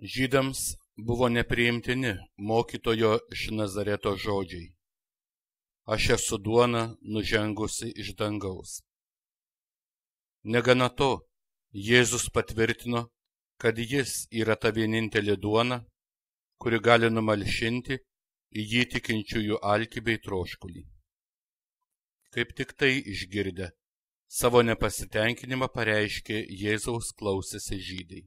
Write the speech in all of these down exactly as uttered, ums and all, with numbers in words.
Žydams buvo nepriimtini mokytojo iš Nazareto žodžiai: Aš esu duona nužengusi iš dangaus. Negana to, Jėzus patvirtino, kad jis yra ta vienintelė duona, kuri gali numalšinti į jį tikinčiųjų alkį bei troškulį. Kaip tik tai išgirdę, savo nepasitenkinimą pareiškė Jėzaus klausėsi žydai.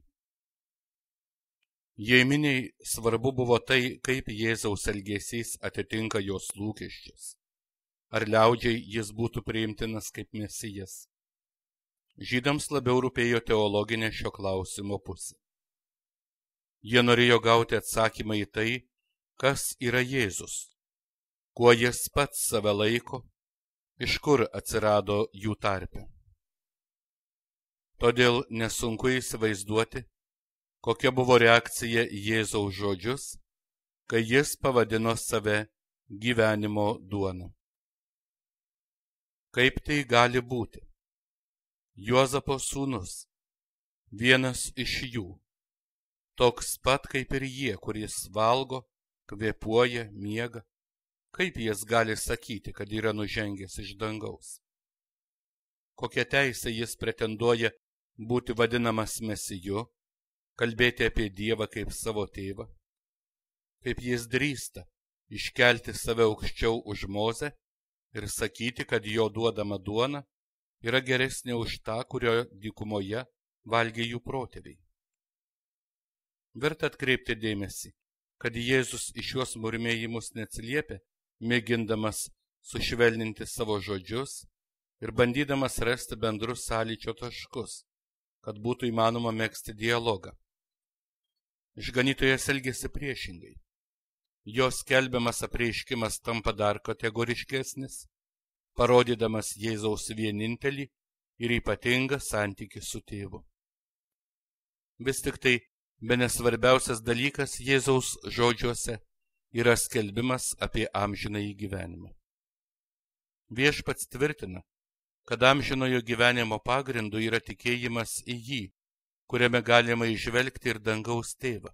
Jei miniai svarbu buvo tai, kaip Jėzaus elgesys atitinka jos lūkesčius, ar liaudžiai jis būtų priimtinas kaip mesijas. Žydams labiau rūpėjo teologinė šio klausimo pusė. Jie norėjo gauti atsakymą į tai, kas yra Jėzus, kuo jis pats save laiko, iš kur atsirado jų tarpe. Todėl nesunku įsivaizduoti, kokia buvo reakcija į Jėzaus žodžius, kai jis pavadino save gyvenimo duona. Kaip tai gali būti? Juozapo sūnus, vienas iš jų, toks pat kaip ir jie, kuris valgo, kvėpuoja, miega, kaip jis gali sakyti, kad yra nužengęs iš dangaus? Kokia teisė jis pretenduoja būti vadinamas mesiju, kalbėti apie Dievą kaip savo tėvą? Kaip jis drįsta iškelti save aukščiau už Mozę ir sakyti, kad jo duodama duona yra geresnė už tą, kurio dykumoje valgė jų protėviai? Verta atkreipti dėmesį, kad Jėzus į šiuos murmėjimus neatsiliepia, mėgindamas sušvelninti savo žodžius ir bandydamas rasti bendrus sąlyčio taškus, kad būtų įmanoma megzti dialogą. Išganytojas elgėsi priešingai. Jo skelbiamas apreiškimas tampa dar kategoriškesnis, parodydamas Jėzaus vienintelį ir ypatingą santykį su tėvu. Vis tik tai bene svarbiausias dalykas Jėzaus žodžiuose yra skelbimas apie amžinąjį gyvenimą. Viešpats tvirtina, kad amžinojo gyvenimo pagrindu yra tikėjimas į jį, kuriame galima įžvelgti ir dangaus tėvą,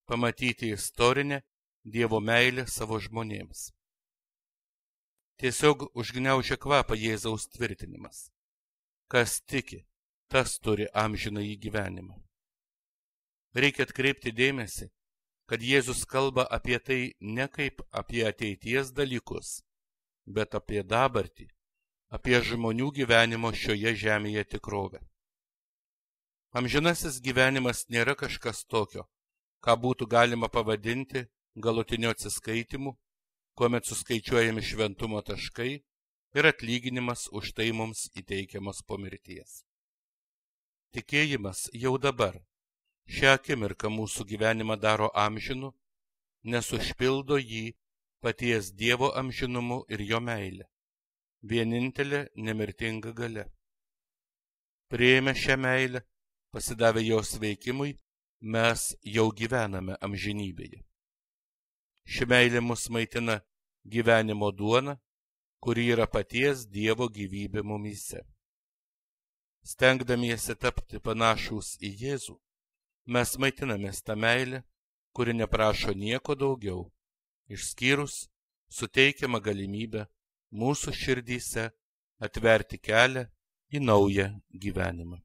pamatyti istorinę Dievo meilę savo žmonėms. Tiesiog užgniaužia kvapą Jėzaus tvirtinimas: kas tiki, tas turi amžinąjį gyvenimą. Reikia atkreipti dėmesį, kad Jėzus kalba apie tai ne kaip apie ateities dalykus, bet apie dabartį, apie žmonių gyvenimo šioje žemėje tikrovę. Amžinasis gyvenimas nėra kažkas tokio, ką būtų galima pavadinti galutiniu atsiskaitimu, kuomet suskaičiuojami šventumo taškai ir atlyginimas už tai mums įteikiamas po mirties. Tikėjimas jau dabar, šią akimirką mūsų gyvenimą daro amžinu, nes užpildo jį paties Dievo amžinumu ir jo meilė, vienintelė nemirtinga galia. Priėmę šią meilę, pasidavę jos veikimui, mes jau gyvename amžinybėje. Ši meilė mus maitina gyvenimo duona, kuri yra paties Dievo gyvybė mumyse. Stengdamiesi tapti panašūs į Jėzų, mes maitinamės tą meilę, kuri neprašo nieko daugiau, išskyrus suteikiamą galimybę mūsų širdyse atverti kelią į naują gyvenimą.